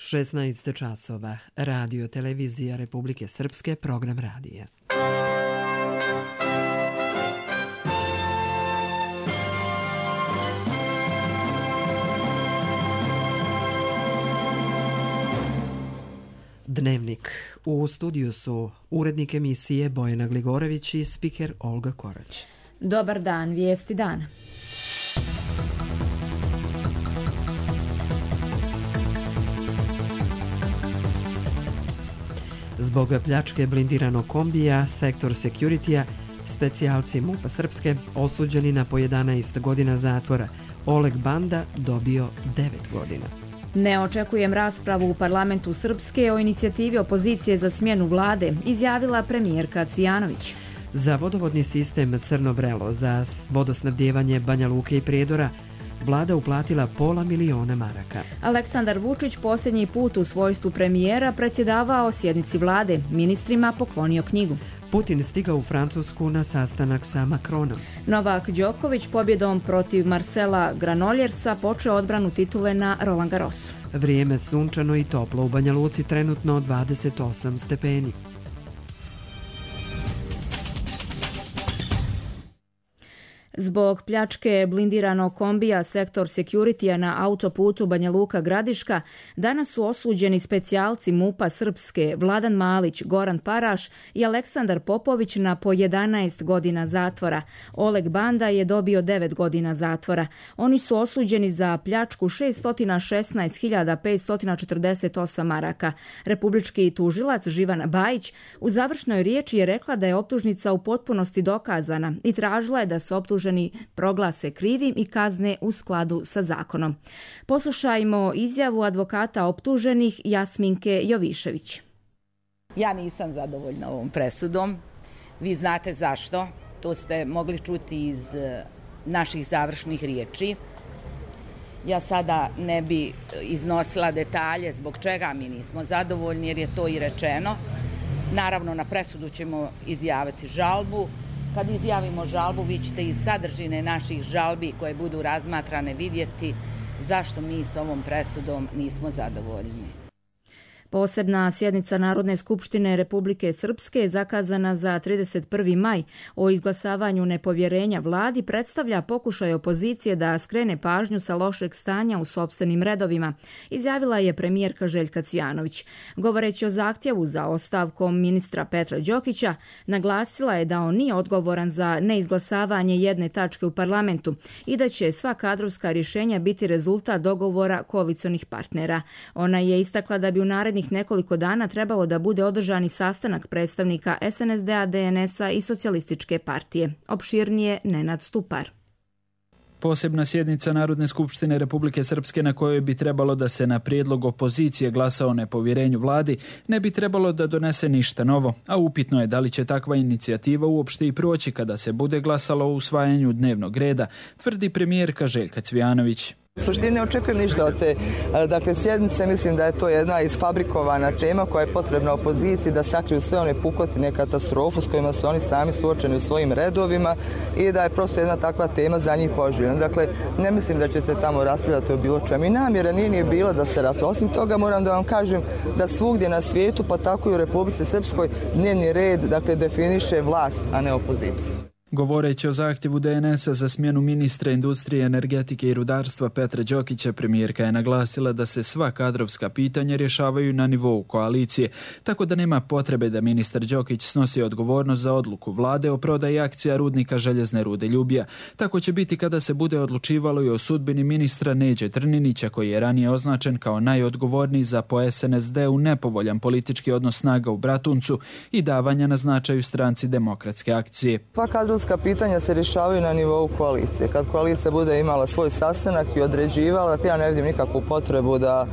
16 časova. Radio televizija Republike Srpske, program radija. Dnevnik. U studiju su urednik emisije Bojana Gligorović i spiker Olga Korać. Dobar dan, vijesti dana. Zbog pljačke blindiranog kombija, sektor Security-a, specijalci MUP-a Srpske osuđeni na po 11 godina zatvora. Oleg Banda dobio 9 godina. Ne očekujem raspravu u parlamentu Srpske o inicijativi opozicije za smjenu vlade, izjavila premijerka Cvijanović. Za vodovodni sistem Crno Vrelo za vodosnabdijevanje Banja Luke i Prijedora vlada uplatila $500.000 maraka. Aleksandar Vučić posljednji put u svojstvu premijera predsjedavao sjednici vlade, ministrima poklonio knjigu. Putin stigao u Francusku na sastanak sa Macronom. Novak Đoković pobjedom protiv Marcela Granoljersa počeo odbranu titule na Roland Garrosu. Vrijeme sunčano i toplo, u Banja Luci trenutno 28 stepeni. Zbog pljačke blindiranog kombija sektor Security-a na autoputu Banja Luka-Gradiška danas su osuđeni specijalci MUP-a Srpske Vladan Malić, Goran Paraš i Aleksandar Popović na po 11 godina zatvora. Oleg Banda je dobio 9 godina zatvora. Oni su osuđeni za pljačku 616.548 maraka. Republički tužilac Živan Bajić u završnoj riječi je rekla da je optužnica u potpunosti dokazana i tražila je da se optuženi proglase krivim i kazne u skladu sa zakonom. Poslušajmo izjavu advokata optuženih Jasminke Jovišević. Ja nisam zadovoljna ovom presudom. Vi znate zašto. To ste mogli čuti iz naših završnih riječi. Ja sada ne bi iznosila detalje zbog čega mi nismo zadovoljni, jer je to i rečeno. Naravno, na presudu ćemo izjaviti žalbu. Kad izjavimo žalbu, vi ćete iz sadržine naših žalbi koje budu razmatrane vidjeti zašto mi s ovom presudom nismo zadovoljni. Posebna sjednica Narodne skupštine Republike Srpske zakazana za 31. maj o izglasavanju nepovjerenja vladi predstavlja pokušaj opozicije da skrene pažnju sa lošeg stanja u sopstvenim redovima, izjavila je premijerka Željka Cvijanović. Govoreći o zahtjevu za ostavkom ministra Petra Đokića, naglasila je da on nije odgovoran za neizglasavanje jedne tačke u parlamentu i da će sva kadrovska rješenja biti rezultat dogovora koalicionih partnera. Ona je istakla da bi u narednih nekoliko dana trebalo da bude održani sastanak predstavnika SNSD-a, DNS-a i Socijalističke partije. Opširnije Nenad Stupar. Posebna sjednica Narodne skupštine Republike Srpske na kojoj bi trebalo da se na prijedlog opozicije glasa o nepovjerenju vladi ne bi trebalo da donese ništa novo, a upitno je da li će takva inicijativa uopšte i proći kada se bude glasalo o usvajanju dnevnog reda, tvrdi premijerka Željka Cvijanović. U suštini ne očekujem ništa od te sjednice, mislim da je to jedna isfabrikovana tema koja je potrebna opoziciji da sakriju sve one pukotine, katastrofu s kojima su oni sami suočeni u svojim redovima i da je prosto jedna takva tema za njih poželjna. Dakle, ne mislim da će se tamo raspravljati o bilo čemu i namjera nije bila da se raspravlja. Osim toga moram da vam kažem da svugdje na svijetu, pa tako i u Republici Srpskoj, dnevni red definiše vlast, a ne opozicija. Govoreći o zahtjevu DNS-a za smjenu ministra industrije, energetike i rudarstva Petra Đokića, premijerka je naglasila da se sva kadrovska pitanja rješavaju na nivou koalicije, tako da nema potrebe da ministar Đokić snosi odgovornost za odluku vlade o prodaji akcija rudnika željezne rude Ljubija. Tako će biti kada se bude odlučivalo i o sudbini ministra Neđe Trninića, koji je ranije označen kao najodgovorniji za po SNSD-u nepovoljan politički odnos snaga u Bratuncu i davanja na značaju stranci Demokratske akcije. Pitanja se rješavaju na nivou koalicije. Kad koalicija bude imala svoj sastanak i određivala, ja ne vidim nikakvu potrebu da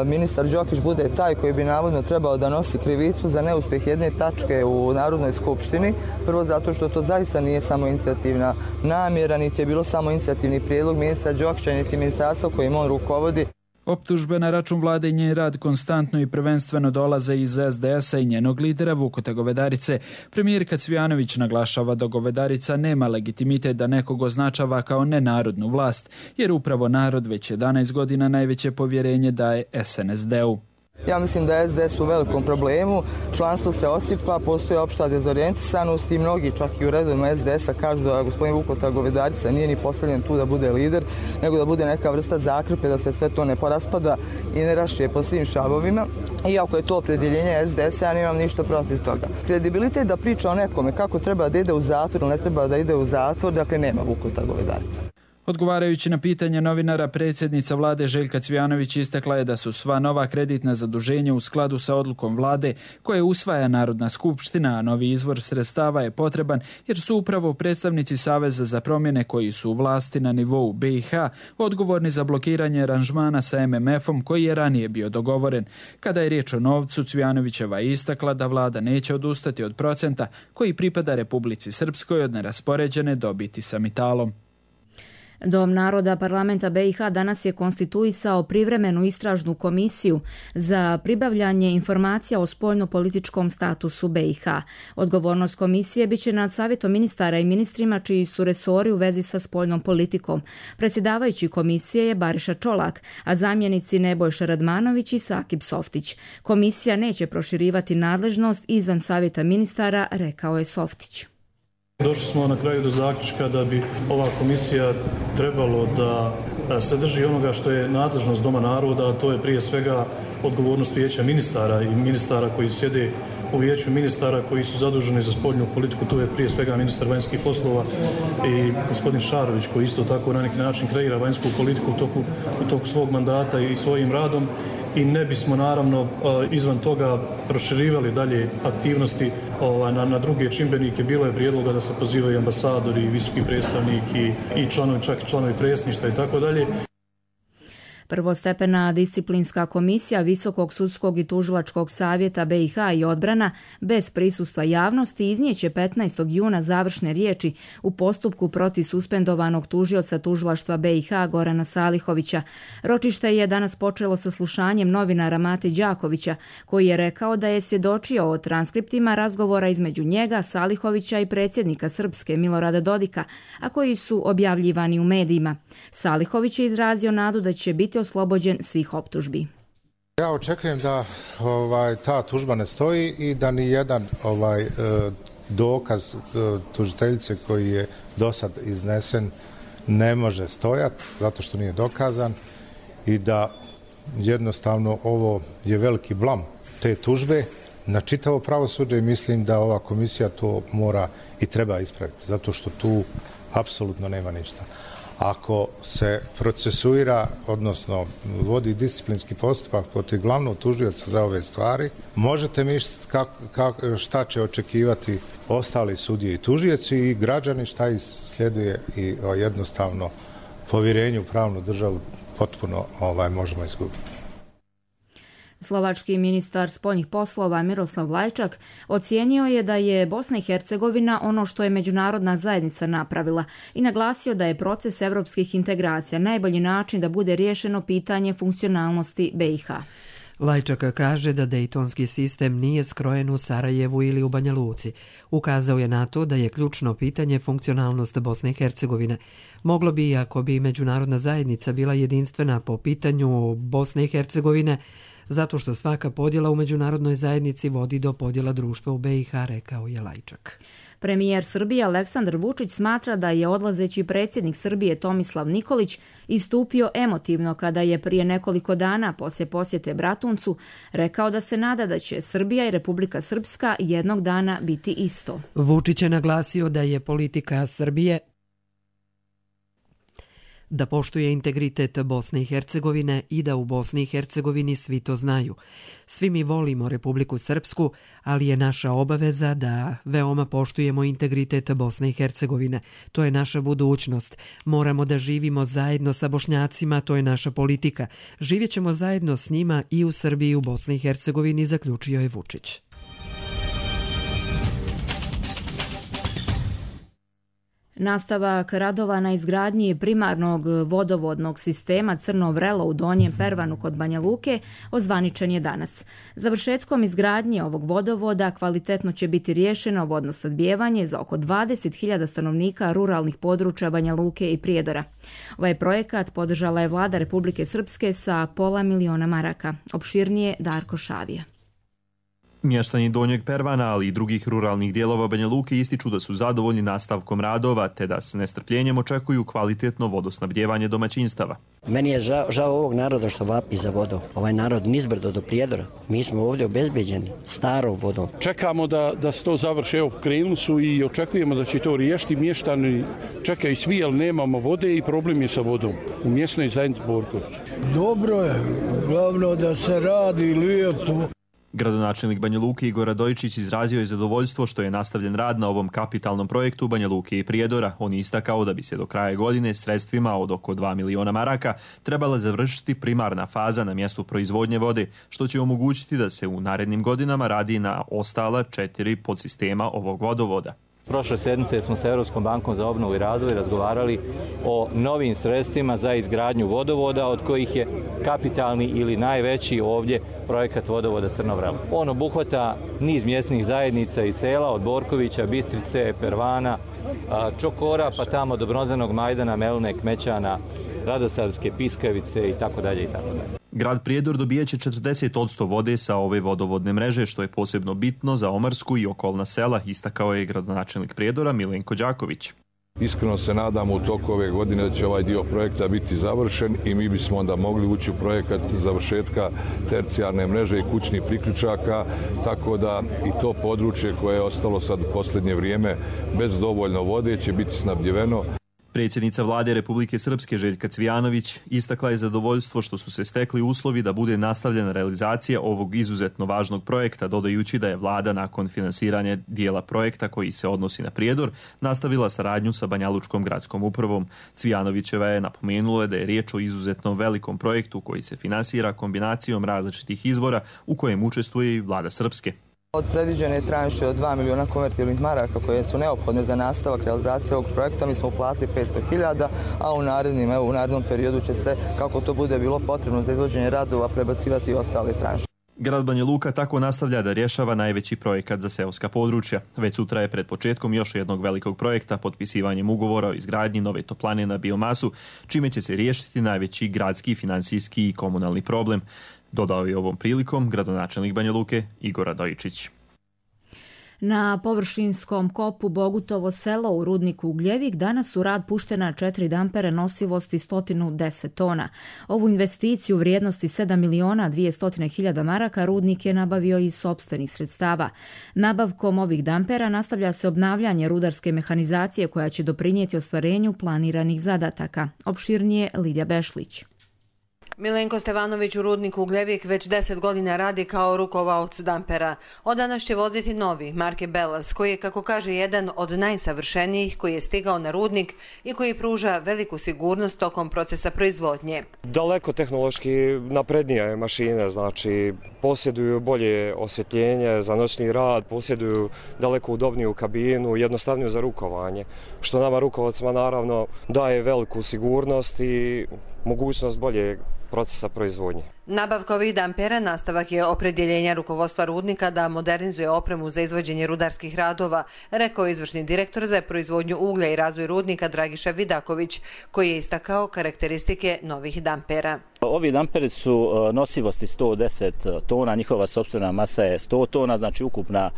ministar Đokić bude taj koji bi navodno trebao da nosi krivicu za neuspjeh jedne tačke u Narodnoj skupštini. Prvo zato što to zaista nije samo inicijativna namjera, niti je bilo samo inicijativni prijedlog ministra Đokića, niti ministarstva kojim on rukovodi. Optužbe na račun vlade i njen rad konstantno i prvenstveno dolaze iz SDS-a i njenog lidera Vuka Govedarice. Premijerka Cvijanović naglašava da Govedarica nema legitimitet da nekog označava kao nenarodnu vlast, jer upravo narod već 11 godina najveće povjerenje daje SNSD-u. Ja mislim da je SDS u velikom problemu, članstvo se osipa, postoji opšta dezorijentisanost i mnogi čak i u redovima SDS-a kažu da gospodin Vukota Govedarica nije ni postavljen tu da bude lider, nego da bude neka vrsta zakrpe, da se sve to ne poraspada i ne rašije po svim šavovima. Iako je to opredjeljenje SDS-a, ja nemam ništa protiv toga. Kredibilitet da priča o nekome kako treba da ide u zatvor ili ne treba da ide u zatvor, dakle nema Vukota Govedarica. Odgovarajući na pitanje novinara, predsjednica vlade Željka Cvijanović istakla je da su sva nova kreditna zaduženja u skladu sa odlukom vlade koje usvaja Narodna skupština, a novi izvor sredstava je potreban jer su upravo predstavnici Saveza za promjene koji su u vlasti na nivou BiH odgovorni za blokiranje aranžmana sa MMF-om koji je ranije bio dogovoren. Kada je riječ o novcu, Cvijanovićeva je istakla da vlada neće odustati od procenta koji pripada Republici Srpskoj od neraspoređene dobiti sa Mitalom. Dom naroda parlamenta BiH danas je konstituisao privremenu istražnu komisiju za pribavljanje informacija o spoljno-političkom statusu BiH. Odgovornost komisije biće nad savjetom ministara i ministrima čiji su resori u vezi sa spoljnom politikom. Predsjedavajući komisije je Bariša Čolak, a zamjenici Nebojša Radmanović i Sakib Softić. Komisija neće proširivati nadležnost izvan savjeta ministara, rekao je Softić. Došli smo na kraju do zaključka da bi ova komisija trebalo da se drži onoga što je nadležnost Doma naroda, a to je prije svega odgovornost vijeća ministara i ministara koji sjede u vijeću ministara koji su zaduženi za spoljnu politiku. Tu je prije svega ministar vanjskih poslova i gospodin Šarović koji isto tako na neki način kreira vanjsku politiku u toku svog mandata i svojim radom. I ne bismo naravno izvan toga proširivali dalje aktivnosti na druge čimbenike. Bilo je prijedloga da se pozivaju ambasadori, visoki predstavnik i članovi, čak i članovi predsjedništva i tako dalje. Prvostepena disciplinska komisija Visokog sudskog i tužilačkog savjeta BiH i odbrana bez prisustva javnosti iznijeće 15. juna završne riječi u postupku protiv suspendovanog tužioca tužilaštva BiH Gorana Salihovića. Ročište je danas počelo sa slušanjem novinara Mate Đakovića, koji je rekao da je svjedočio o transkriptima razgovora između njega, Salihovića i predsjednika Srpske Milorada Dodika, a koji su objavljivani u medijima. Salihović je izrazio nadu da će biti oslobođen svih optužbi. Ja očekujem da ta tužba ne stoji i da ni jedan dokaz tužiteljice koji je dosad iznesen ne može stojati zato što nije dokazan i da jednostavno ovo je veliki blam te tužbe na čitavo pravosuđe i mislim da ova komisija to mora i treba ispraviti zato što tu apsolutno nema ništa. Ako se procesuira, odnosno vodi disciplinski postupak protiv glavnog tužioca za ove stvari, možete misliti šta će očekivati ostali sudije i tužioci i građani šta ih sljeduje i jednostavno povjerenje u pravnu državu potpuno možemo izgubiti. Slovački ministar spoljnih poslova Miroslav Lajčak ocijenio je da je Bosna i Hercegovina ono što je međunarodna zajednica napravila i naglasio da je proces evropskih integracija najbolji način da bude riješeno pitanje funkcionalnosti BiH. Lajčak kaže da dejtonski sistem nije skrojen u Sarajevu ili u Banja Luci. Ukazao je na to da je ključno pitanje funkcionalnost Bosne i Hercegovine. Moglo bi, ako bi međunarodna zajednica bila jedinstvena po pitanju Bosne i Hercegovine, zato što svaka podjela u međunarodnoj zajednici vodi do podjela društva u BiH, rekao je Lajčak. Premijer Srbije Aleksandar Vučić smatra da je odlazeći predsjednik Srbije Tomislav Nikolić istupio emotivno kada je prije nekoliko dana poslije posjete Bratuncu rekao da se nada da će Srbija i Republika Srpska jednog dana biti isto. Vučić je naglasio da je politika Srbije da poštuje integritet Bosne i Hercegovine i da u Bosni i Hercegovini svi to znaju. Svi mi volimo Republiku Srpsku, ali je naša obaveza da veoma poštujemo integritet Bosne i Hercegovine. To je naša budućnost. Moramo da živimo zajedno sa Bošnjacima, to je naša politika. Živjet ćemo zajedno s njima i u Srbiji i u Bosni i Hercegovini, zaključio je Vučić. Nastavak radova na izgradnji primarnog vodovodnog sistema Crno vrelo u Donjem Pervanu kod Banja Luke ozvaničen je danas. Završetkom izgradnje ovog vodovoda kvalitetno će biti riješeno vodno snabdijevanje za oko 20.000 stanovnika ruralnih područja Banja Luke i Prijedora. Ovaj projekat podržala je vlada Republike Srpske sa $500.000 maraka. Opširnije Darko Šavija. Mještani Donjeg Pervana, ali i drugih ruralnih dijelova Banja Luke ističu da su zadovoljni nastavkom radova, te da s nestrpljenjem očekuju kvalitetno vodosnabdijevanje domaćinstava. Meni je žao ovog naroda što vapi za vodom. Ovaj narod nizbrdo do Prijedora. Mi smo ovdje obezbeđeni starom vodom. Čekamo da se to završi. Evo, krenuli su i očekujemo da će to riješiti. Mještani čekaju svi, ali nemamo vode i problem je sa vodom u mjesnoj zajednici Borković. Dobro je, glavno da se radi lijepo. Gradonačelnik Banja Luke Igor Radojičić izrazio je zadovoljstvo što je nastavljen rad na ovom kapitalnom projektu Banja Luke i Prijedora. On je istakao da bi se do kraja godine sredstvima od oko 2 miliona maraka trebala završiti primarna faza na mjestu proizvodnje vode, što će omogućiti da se u narednim godinama radi na ostala 4 podsistema ovog vodovoda. Prošle sedmice smo sa Europskom bankom za obnovu i razvoj razgovarali o novim sredstvima za izgradnju vodovoda, od kojih je kapitalni ili najveći ovdje projekat vodovoda Crno vrelo. On obuhvata niz mjesnih zajednica i sela od Borkovića, Bistrice, Pervana, Čokora, pa tamo do Bronzanog Majdana, Melune, Kmećana, Radosavske, Piskavice itd. Grad Prijedor dobijeće 40% vode sa ove vodovodne mreže, što je posebno bitno za Omarsku i okolna sela, istakao je gradonačelnik Prijedora Milenko Đaković. Iskreno se nadamo u toku ove godine da će ovaj dio projekta biti završen i mi bismo onda mogli ući u projekat završetka tercijarne mreže i kućnih priključaka, tako da i to područje koje je ostalo sad u posljednje vrijeme bez dovoljno vode će biti snabdjeveno. Predsjednica vlade Republike Srpske Željka Cvijanović istakla je zadovoljstvo što su se stekli uslovi da bude nastavljena realizacija ovog izuzetno važnog projekta, dodajući da je vlada nakon finansiranja dijela projekta koji se odnosi na Prijedor nastavila saradnju sa Banjalučkom gradskom upravom. Cvijanovićeva je napomenula da je riječ o izuzetno velikom projektu koji se finansira kombinacijom različitih izvora u kojem učestvuje i vlada Srpske. Od predviđene tranše od 2 miliona konvertibilnih maraka koje su neophodne za nastavak realizacije ovog projekta mi smo uplatili 500.000, a u narednom periodu će se, kako to bude bilo potrebno za izvođenje radova, prebacivati i ostale tranše. Grad Banja Luka tako nastavlja da rješava najveći projekat za seoska područja. Već sutra je pred početkom još jednog velikog projekta potpisivanjem ugovora o izgradnji nove toplane na biomasu, čime će se riješiti najveći gradski, financijski i komunalni problem. Dodao je ovom prilikom gradonačelnik Banja Luke Igor Radojičić. Na površinskom kopu Bogutovo selo u rudniku Ugljevik danas u rad puštena 4 dampere nosivosti 110 tona. Ovu investiciju vrijednosti 7.200.000 maraka rudnik je nabavio iz sopstvenih sredstava. Nabavkom ovih dampera nastavlja se obnavljanje rudarske mehanizacije koja će doprinijeti ostvarenju planiranih zadataka. Opširnije Lidija Bešlić. Milenko Stevanović u rudniku Ugljevik već 10 godina radi kao rukovaoc dampera. Od danas će voziti novi, marke Belas, koji je, kako kaže, jedan od najsavršenijih koji je stigao na rudnik i koji pruža veliku sigurnost tokom procesa proizvodnje. Daleko tehnološki naprednije mašine, znači posjeduju bolje osvjetljenje za noćni rad, posjeduju daleko udobniju kabinu, jednostavniju za rukovanje, što nama rukovodcima naravno daje veliku sigurnost i mogućnost bolje procesa proizvodnje. Nabavka ovih dampera nastavak je opredjeljenja rukovodstva rudnika da modernizuje opremu za izvođenje rudarskih radova, rekao je izvršni direktor za proizvodnju uglja i razvoj rudnika Dragiša Vidaković, koji je istakao karakteristike novih dampera. Ovi damperi su nosivosti 110 tona, njihova sopstvena masa je 100 tona, znači ukupna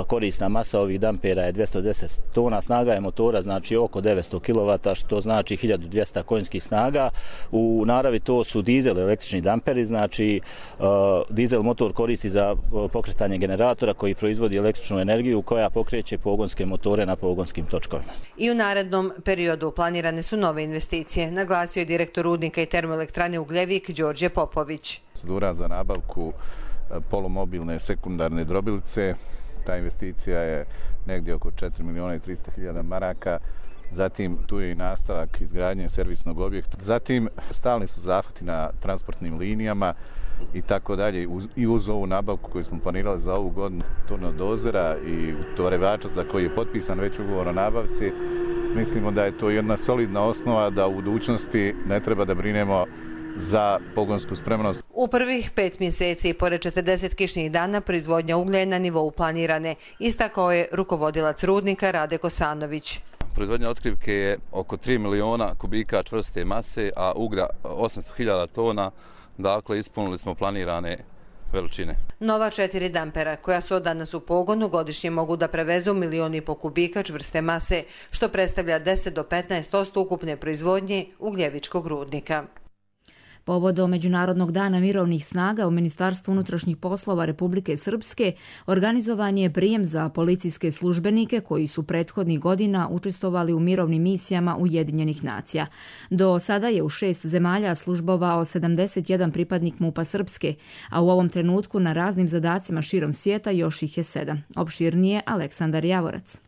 korisna masa ovih dampera je 210 tona, snaga je motora znači oko 900 kW, što znači 1200 konjskih snaga. U naravi to su dizel električni damperi, znači dizel motor koristi za pokretanje generatora koji proizvodi električnu energiju koja pokreće pogonske motore na pogonskim točkovima. I u narednom periodu planirane su nove investicije, naglasio je direktor rudnika i termoelektrane Ugljevik Đorđe Popović. Procedura za nabavku polumobilne sekundarne drobilice, ta investicija je negdje oko 4.300.000 maraka. Zatim tu je i nastavak izgradnje servisnog objekta. Zatim stalni su zahvati na transportnim linijama i tako dalje. I uz ovu nabavku koju smo planirali za ovu godinu turnodozera i torevača za koji je potpisan već ugovor o nabavci, Mislimo da je to jedna solidna osnova da u budućnosti ne treba da brinemo za pogonsku spremnost. U prvih 5 mjeseci, pored 40 kišnih dana, proizvodnja uglja je na nivou planirane, istakao je rukovodilac rudnika Rade Kosanović. Proizvodnja otkrivke je oko 3 miliona kubika čvrste mase, a uglja 800.000 tona, dakle ispunili smo planirane veličine. Nova 4 dampera, koja su od danas u pogonu, godišnje mogu da prevezu 1,5 miliona kubika čvrste mase, što predstavlja 10 do 15% ukupne proizvodnje ugljevičkog rudnika. Povodom Međunarodnog dana mirovnih snaga u Ministarstvu unutrašnjih poslova Republike Srpske organizovan je prijem za policijske službenike koji su prethodnih godina učestvovali u mirovnim misijama Ujedinjenih nacija. Do sada je u 6 zemalja službovao 71 pripadnik MUP-a Srpske, a u ovom trenutku na raznim zadacima širom svijeta još ih je 7. Opširnije Aleksandar Javorac.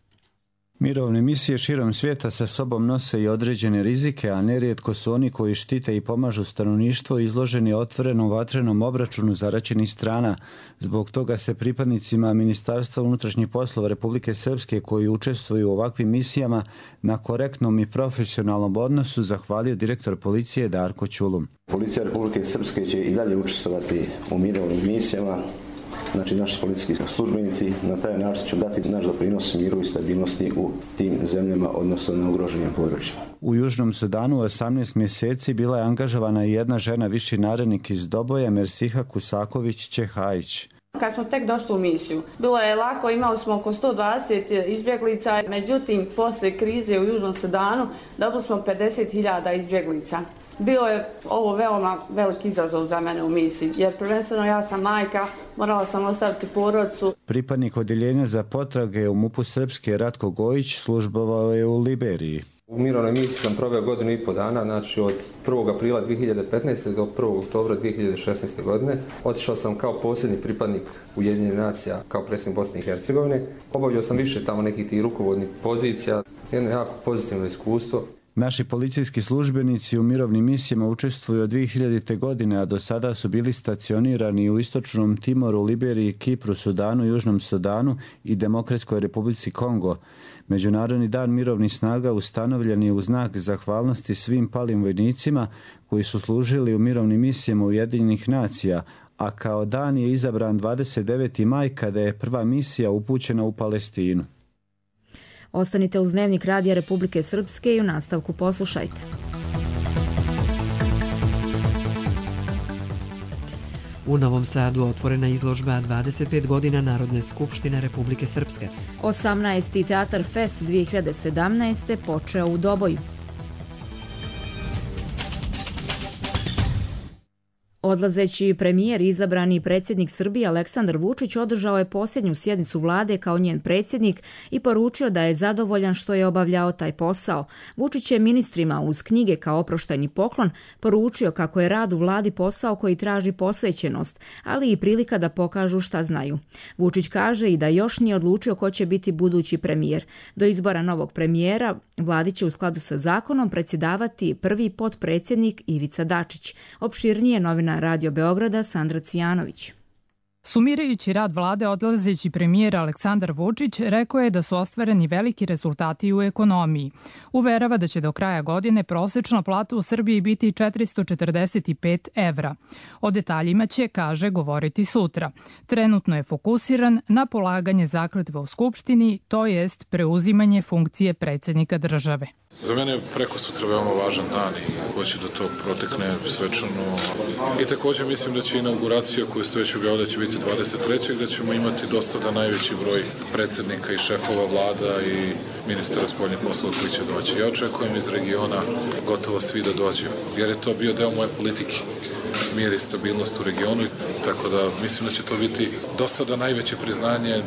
Mirovne misije širom svijeta sa sobom nose i određene rizike, a nerijetko su oni koji štite i pomažu stanovništvo izloženi otvorenom vatrenom obračunu zaraćenih strana. Zbog toga se pripadnicima Ministarstva unutrašnjih poslova Republike Srpske koji učestvuju u ovakvim misijama na korektnom i profesionalnom odnosu zahvalio direktor policije Darko Ćulum. Policija Republike Srpske će i dalje učestvovati u mirovnim misijama. Znači, naši policijski službenici na taj način će dati naš doprinos miru i stabilnosti u tim zemljama, odnosno na ugroženim područjima. U Južnom Sudanu 18 mjeseci bila je angažovana i jedna žena, viši narednik iz Doboja, Mersiha Kusaković-Čehajić. Kad smo tek došli u misiju, bilo je lako, imali smo oko 120 izbjeglica, međutim, posle krize u Južnom Sudanu dobili smo 50.000 izbjeglica. Bilo je ovo veoma veliki izazov za mene u misiji, jer prvenstveno ja sam majka, morala sam ostaviti porodicu. Pripadnik odjeljenja za potrage u MUP-u Srpske Ratko Gojić službovao je u Liberiji. U mirovnoj misiji sam proveo 1,5 godina, znači od 1. aprila 2015. do 1. oktobra 2016. godine. Otišao sam kao posljednji pripadnik Ujedinjenih nacija, kao predsjednik Bosne i Hercegovine. Obavljao sam više tamo nekih tih rukovodnih pozicija, jedno jako pozitivno iskustvo. Naši policijski službenici u mirovnim misijama učestvuju od 2000. godine, a do sada su bili stacionirani u Istočnom Timoru, Liberiji, Kipru, Sudanu, Južnom Sudanu i Demokratskoj Republici Kongo. Međunarodni dan mirovnih snaga ustanovljen je u znak zahvalnosti svim palim vojnicima koji su služili u mirovnim misijama Ujedinjenih nacija, a kao dan je izabran 29. maj kada je prva misija upućena u Palestinu. Ostanite uz Dnevnik Radija Republike Srpske i u nastavku poslušajte. U Novom Sadu otvorena izložba 25 godina Narodne skupštine Republike Srpske. 18. Teatar Fest 2017. počeo u Doboju. Odlazeći premijer i izabrani predsjednik Srbije Aleksandar Vučić održao je posljednju sjednicu vlade kao njen predsjednik i poručio da je zadovoljan što je obavljao taj posao. Vučić je ministrima uz knjige kao oproštajni poklon poručio kako je rad u vladi posao koji traži posvećenost, ali i prilika da pokažu šta znaju. Vučić kaže i da još nije odlučio ko će biti budući premijer. Do izbora novog premijera vladi će u skladu sa zakonom predsjedavati prvi potpredsjednik Ivica Dačić. Opširnije novina Radio Beograda Sandra Cvijanović. Sumirajući rad vlade, odlazeći premijer Aleksandar Vučić rekao je da su ostvareni veliki rezultati u ekonomiji. Uverava da će do kraja godine prosečna plata u Srbiji biti 445 evra. O detaljima će, kaže, govoriti sutra. Trenutno je fokusiran na polaganje zakletve u Skupštini, to jest preuzimanje funkcije predsjednika države. Za mene je preko sutra veoma važan dan i hoće da to protekne svečano. I također mislim da će inauguracija koju ste već objavili da će biti 23. da ćemo imati do sada najveći broj predsjednika i šefova vlada i ministara spoljnih poslova koji će doći. Ja očekujem iz regiona gotovo svi da dođu, jer je to bio deo moje politike. Mir i stabilnost u regionu, tako da mislim da će to biti do sada najveće priznanje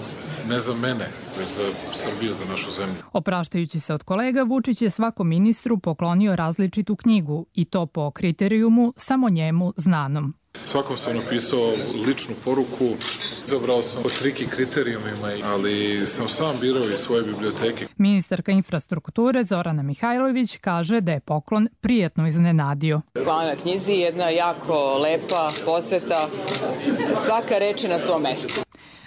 ne za mene, već za Srbiju, za našu zemlju. Opraštajući se od kolega, Vučić je svakom ministru poklonio različitu knjigu i to po kriterijumu samo njemu znanom. Svakom sam napisao ličnu poruku, izabrao sam po triki kriterijumima, ali sam sam birao iz svoje biblioteke. Ministarka infrastrukture Zorana Mihajlović kaže da je poklon prijetno iznenadio. Hvala na knjizi, jedna jako lepa posveta, svaka reč je na svom mestu.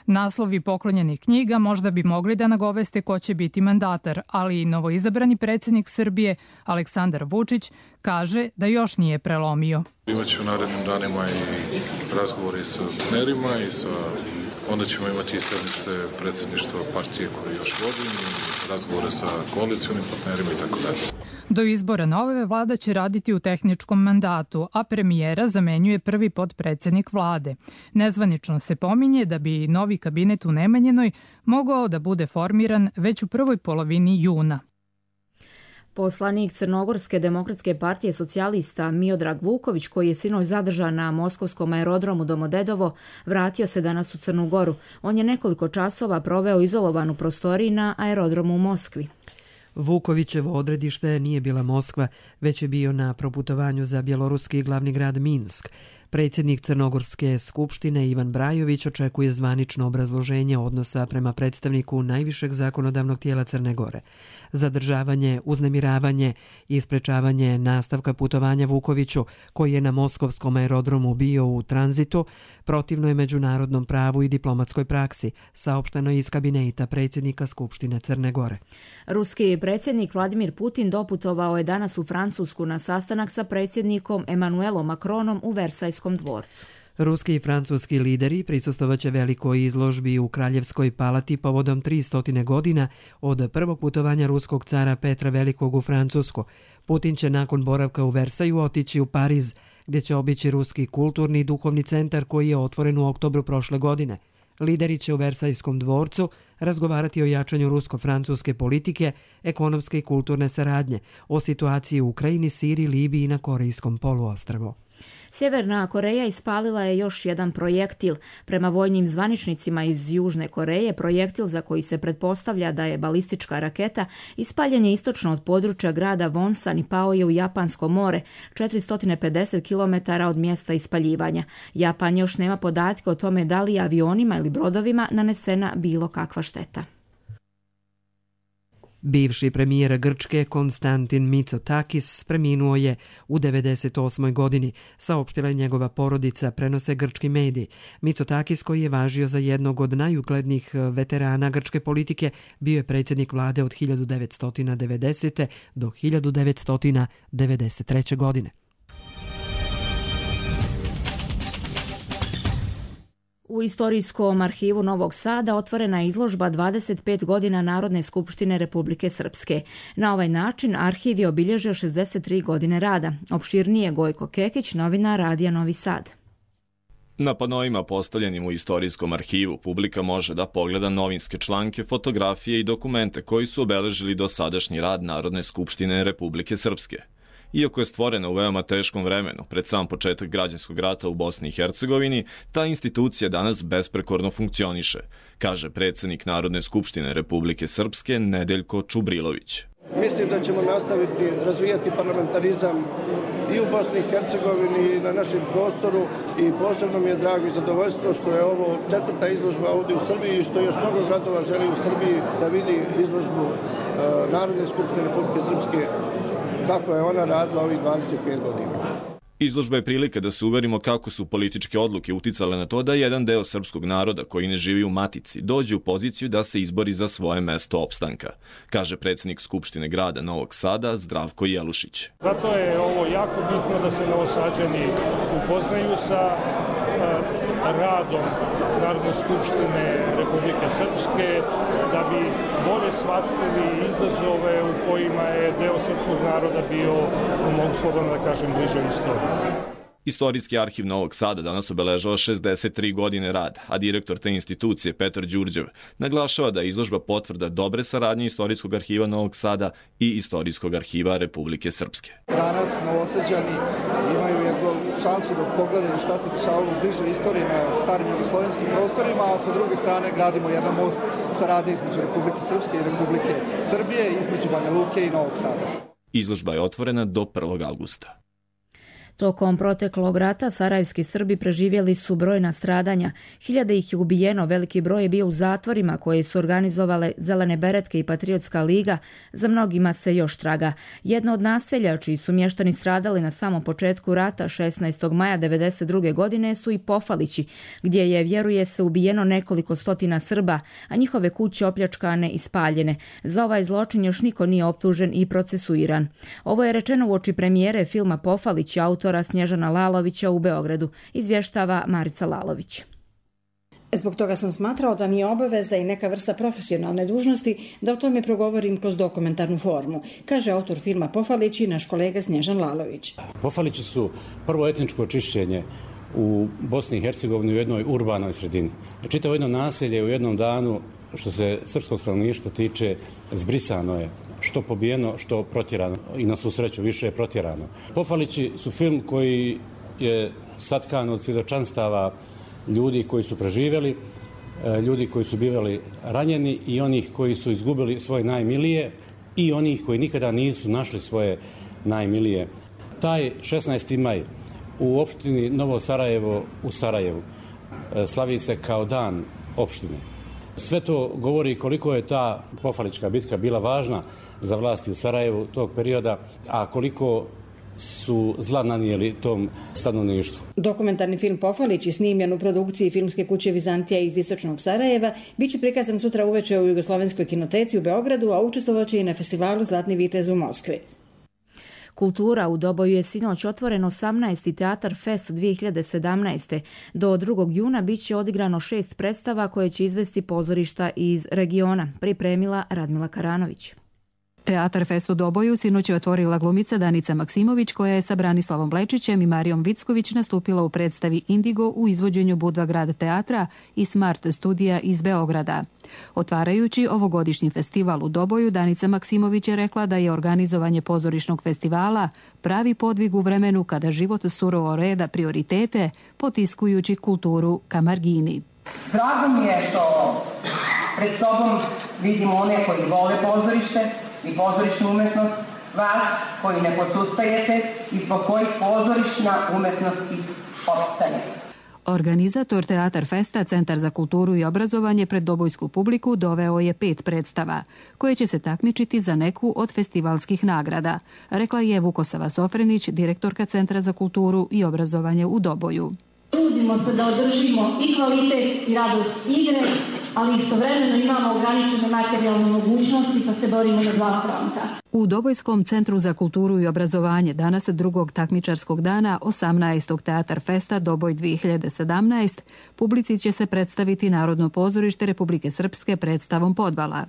Naslovi poklonjenih knjiga možda bi mogli da nagoveste ko će biti mandatar, ali i novoizabrani predsjednik Srbije Aleksandar Vučić kaže da još nije prelomio. Imaće u narednim danima i razgovore sa partnerima i onda ćemo imati i sednice predsjedništva partije koje još vodim, razgovore sa koalicionim partnerima i tako dalje. Do izbora nove vlada će raditi u tehničkom mandatu, a premijera zamenjuje prvi potpredsjednik vlade. Nezvanično se pominje da bi novi kabinet u Nemanjinoj mogao da bude formiran već u prvoj polovini juna. Poslanik Crnogorske demokratske partije socijalista Miodrag Vuković, koji je sinoć zadržan na moskovskom aerodromu Domodedovo, vratio se danas u Crnu Goru. On je nekoliko časova proveo izolovan u prostoriji na aerodromu u Moskvi. Vukovićevo odredište nije bila Moskva, već je bio na proputovanju za bjeloruski glavni grad Minsk. Predsjednik Crnogorske skupštine Ivan Brajović očekuje zvanično obrazloženje odnosa prema predstavniku najvišeg zakonodavnog tijela Crne Gore. Zadržavanje, uznemiravanje i sprečavanje nastavka putovanja Vukoviću, koji je na moskovskom aerodromu bio u tranzitu, protivno je međunarodnom pravu i diplomatskoj praksi, saopšteno iz kabineta predsjednika Skupštine Crne Gore. Ruski predsjednik Vladimir Putin doputovao je danas u Francusku na sastanak sa predsjednikom Emmanuelom Macronom u Versajskom dvorcu. Ruski i francuski lideri prisustvovaće velikoj izložbi u Kraljevskoj palati povodom 300 godina od prvog putovanja ruskog cara Petra Velikog u Francusku. Putin će nakon boravka u Versaju otići u Pariz, gdje će obići ruski kulturni i duhovni centar koji je otvoren u oktobru prošle godine. Lideri će u Versajskom dvorcu razgovarati o jačanju rusko-francuske politike, ekonomske i kulturne saradnje, o situaciji u Ukrajini, Siriji, Libiji i na Korejskom poluostrvu. Sjeverna Koreja ispalila je još jedan projektil. Prema vojnim zvaničnicima iz Južne Koreje, projektil za koji se pretpostavlja da je balistička raketa ispaljen je istočno od područja grada Wonsan i pao je u Japansko more, 450 km od mjesta ispaljivanja. Japan još nema podatke o tome da li je avionima ili brodovima nanesena bilo kakva šteta. Bivši premijer Grčke Konstantin Mitsotakis preminuo je u 98. godini, saopštila je njegova porodica, prenose grčki mediji. Mitsotakis, koji je važio za jednog od najuglednijih veterana grčke politike, bio je predsjednik vlade od 1990. do 1993. godine. U Istorijskom arhivu Novog Sada otvorena je izložba 25 godina Narodne skupštine Republike Srpske. Na ovaj način arhiv je obilježio 63 godine rada. Opširnije Gojko Kekić, novinar Radija Novi Sad. Na panoima postavljenim u Istorijskom arhivu publika može da pogleda novinske članke, fotografije i dokumente koji su obeležili dosadašnji rad Narodne skupštine Republike Srpske. Iako je stvorena u veoma teškom vremenu, pred sam početak građanskog rata u Bosni i Hercegovini, ta institucija danas besprekorno funkcioniše, kaže predsjednik Narodne skupštine Republike Srpske Nedeljko Čubrilović. Mislim da ćemo nastaviti razvijati parlamentarizam i u Bosni i Hercegovini i na našem prostoru i posebno mi je drago i zadovoljstvo što je ovo 4. izložba ovdje u Srbiji i što još mnogo gradova želi u Srbiji da vidi izložbu Narodne skupštine Republike Srpske kako je ona radila ovih 25 godina. Izložba je prilika da se uverimo kako su političke odluke uticale na to da jedan deo srpskog naroda koji ne živi u matici dođe u poziciju da se izbori za svoje mesto opstanka, kaže predsjednik Skupštine grada Novog Sada Zdravko Jelušić. Zato je ovo jako bitno da se Novosađani upoznaju sa radom Narodne skupštine Republike Srpske, da bi bolje shvatili izazove u kojima je deo srpskog naroda bio, mogu slobodno da kažem, bliže istoriji. Istorijski arhiv Novog Sada danas obeležava 63 godine rada, a direktor te institucije Petar Đurđev naglašava da je izložba potvrda dobre saradnje Istorijskog arhiva Novog Sada i Istorijskog arhiva Republike Srpske. Danas Novosađani imaju jednu šansu da pogledaju šta se dešavalo u bližoj istoriji na starim jugoslovenskim prostorima, a sa druge strane gradimo jedan most saradnje između Republike Srpske i Republike Srbije, između Banja Luke i Novog Sada. Izložba je otvorena do 1. augusta. Tokom proteklog rata sarajevski Srbi preživjeli su brojna stradanja. Hiljade ih je ubijeno, veliki broj je bio u zatvorima koje su organizovale Zelene beretke i Patriotska liga, za mnogima se još traga. Jedno od naselja čiji su mještani stradali na samom početku rata 16. maja 1992. godine su i Pofalići, gdje je, vjeruje se, ubijeno nekoliko stotina Srba, a njihove kuće opljačkane i spaljene. Za ovaj zločin još niko nije optužen i procesuiran. Ovo je rečeno uoči premijere filma Pofalići autora Snježana Lalovića u Beogradu, izvještava Marica Lalović. Zbog toga sam smatrao da mi je obaveza i neka vrsta profesionalne dužnosti da o tome progovorim kroz dokumentarnu formu, kaže autor filma Pofalići, naš kolega Snježan Lalović. Pofalići su prvo etničko očišćenje u Bosni i Hercegovini u jednoj urbanoj sredini. Čitavo jedno naselje u jednom danu, što se srpskog stanovništva tiče, zbrisano je. Što pobijeno, što protjerano. I na svu sreću više je protjerano. Pofalići su film koji je satkan od svjedočanstava ljudi koji su preživjeli, ljudi koji su bivali ranjeni i onih koji su izgubili svoje najmilije i onih koji nikada nisu našli svoje najmilije. Taj 16. maj u opštini Novo Sarajevo u Sarajevu slavi se kao dan opštine. Sve to govori koliko je ta Pofalićka bitka bila važna za vlasti u Sarajevu tog perioda, a koliko su zla nanijeli tom stanovništvu. Dokumentarni film Pofalići, snimljen u produkciji filmske kuće Vizantija iz istočnog Sarajeva, biće prikazan sutra uveče u Jugoslovenskoj kinoteci u Beogradu, a učestvovaće i na festivalu Zlatni vitez u Moskvi. Kultura u Doboju je sinoć otvoren 18. Teatar Fest 2017. Do 2. juna bit će odigrano 6 predstava koje će izvesti pozorišta iz regiona, pripremila Radmila Karanović. Teatar Fest u Doboju sinoć je otvorila glumica Danica Maksimović, koja je sa Branislavom Blečićem i Marijom Vicković nastupila u predstavi Indigo u izvođenju Budva grad teatra i Smart studija iz Beograda. Otvarajući ovogodišnji festival u Doboju, Danica Maksimović je rekla da je organizovanje pozorišnog festivala pravi podvig u vremenu kada život surovo reda prioritete, potiskujući kulturu ka margini. Drago mi je što pred sobom vidimo one koji vole pozorište i pozorišnu umetnost, vas koji ne posustajete i zbog kojih pozorišna umetnost opstaje. Organizator Teatar Festa, Centar za kulturu i obrazovanje, pred dobojsku publiku doveo je 5 predstava, koje će se takmičiti za neku od festivalskih nagrada, rekla je Vukosava Sofrenić, direktorka Centra za kulturu i obrazovanje u Doboju. Trudimo se da održimo i kvalitet i radost igre, ali istovremeno imamo ograničene materijalne mogućnosti pa se borimo na 2 fronta. U Dobojskom centru za kulturu i obrazovanje danas 2. takmičarskog dana 18. Teatar Festa Doboj 2017 publici će se predstaviti Narodno pozorište Republike Srpske predstavom Podvala.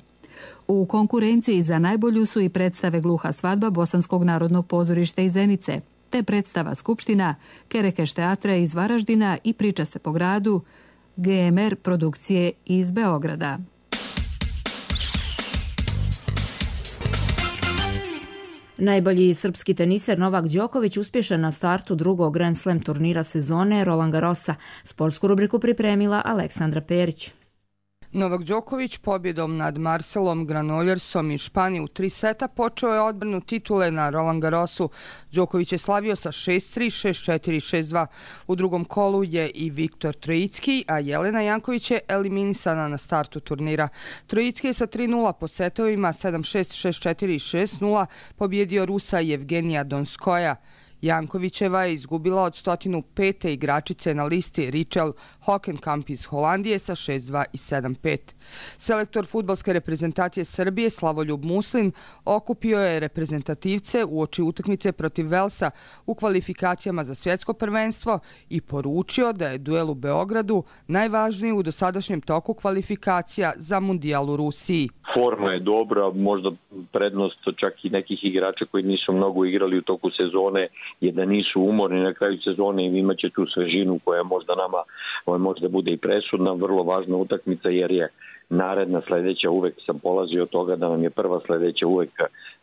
U konkurenciji za najbolju su i predstave Gluha svadba Bosanskog narodnog pozorišta iz Zenice, te predstava Skupština, Kerekeš teatra iz Varaždina i Priča se po gradu, GMR produkcije iz Beograda. Najbolji srpski teniser Novak Đoković uspješan na startu drugog Grand Slam turnira sezone Roland Garrosa. Sportsku rubriku pripremila Aleksandra Perić. Novak Đoković pobjedom nad Marcelom Granollersom iz Španije u 3 seta počeo je odbranu titule na Roland Garrosu. Đoković je slavio sa 6-3, 6-4, 6-2. U drugom kolu je i Viktor Trojicki, a Jelena Janković je eliminisana na startu turnira. Trojicki je sa 3-0 po setovima 7-6, 6-4 i 6-0 pobjedio Rusa Jevgenija Donskoja. Jankovićeva je izgubila od 105. igračice na listi Richel Hockenkamp iz Holandije sa 6-2 i 7-5. Selektor fudbalske reprezentacije Srbije Slavoljub Muslin okupio je reprezentativce uoči utakmice protiv Velsa u kvalifikacijama za svjetsko prvenstvo i poručio da je duel u Beogradu najvažniji u dosadašnjem toku kvalifikacija za mundijal u Rusiji. Forma je dobra, možda prednost čak i nekih igrača koji nisu mnogo igrali u toku sezone je da nisu umorni na kraju sezone i imaće tu svežinu koja možda nama možda bude i presudna, vrlo važna utakmica jer je naredna sledeća, uvek sam polazio od toga da nam je prva sledeća uvek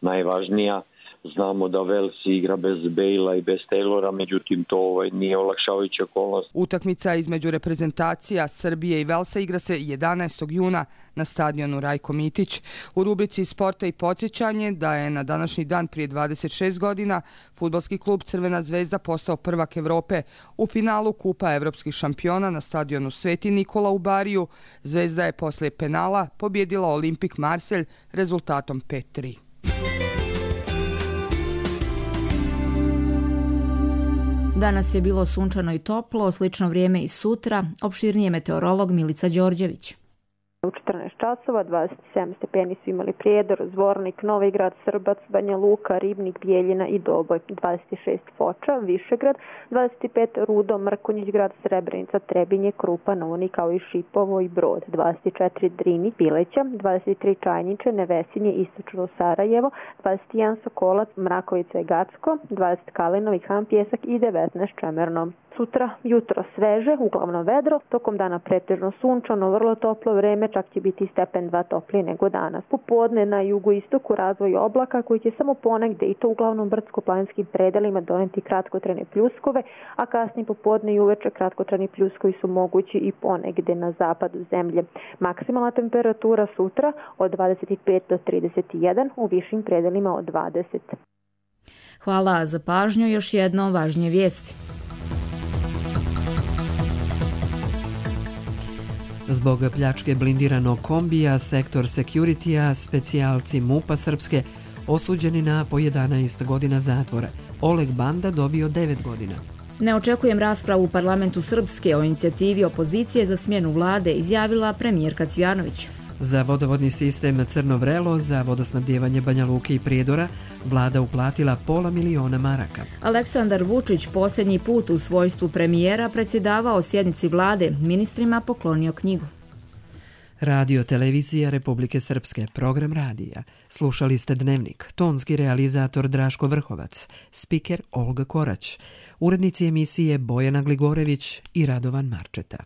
najvažnija. Znamo da Velsi igra bez Bejla i bez Taylora, međutim to nije olakšavajuća okolnost. Utakmica između reprezentacija Srbije i Velsa igra se 11. juna na stadionu Rajko Mitić. U rubrici Sporta i podsjećanje da je na današnji dan prije 26 godina fudbalski klub Crvena zvezda postao prvak Evrope u finalu Kupa evropskih šampiona na stadionu Sveti Nikola u Bariju. Zvezda je posle penala pobjedila Olimpik Marselj rezultatom 5-3. Danas je bilo sunčano i toplo, slično vrijeme i sutra. Opširnije meteorolog Milica Đorđević. U 14 časova 27 stepeni su imali Prijedor, Zvornik, Novi Grad, Srbac, Banja Luka, Ribnik, Bijeljina i Doboj. 26 Foča, Višegrad, 25 Rudo, Mrkonjić Grad, Srebrenica, Trebinje, Krupa, Novoni kao i Šipovo i Brod. 24 Drini, Pileća, 23 Čajniče, Nevesinje, Istočno Sarajevo, 21 Sokolac, Mrakovica i Gacko, 20 Kalinovi, Han Pjesak i 19 Čemerno. Sutra jutro sveže, uglavnom vedro, tokom dana pretežno sunčano, vrlo toplo vreme, čak će biti stepen 2 toplije nego danas. Popodne na jugoistoku razvoj oblaka koji će samo ponegde i to uglavnom brdsko-planinskim predelima doneti kratkotrajne pljuskove, a kasnije popodne i uveče kratkotrajni pljuskovi su mogući i ponegde na zapadu zemlje. Maksimalna temperatura sutra od 25 do 31, u višim predelima od 20. Hvala za pažnju, još jedno važnije vijesti. Zbog pljačke blindiranog kombija, sektor Security-a, specijalci MUP-a Srpske osuđeni na po 11 godina zatvora. Oleg Banda dobio 9 godina. Ne očekujem raspravu u parlamentu Srpske o inicijativi opozicije za smjenu vlade, izjavila premijerka Cvjanović. Za vodovodni sistem Crno Vrelo, za vodosnabdjevanje Banja Luke i Prijedora, vlada uplatila $500.000 maraka. Aleksandar Vučić posljednji put u svojstvu premijera predsjedavao sjednici vlade, ministrima poklonio knjigu. Radio Televizija Republike Srpske, program radija. Slušali ste Dnevnik, tonski realizator Draško Vrhovac, spiker Olga Korać, urednici emisije Bojana Gligorević i Radovan Marčeta.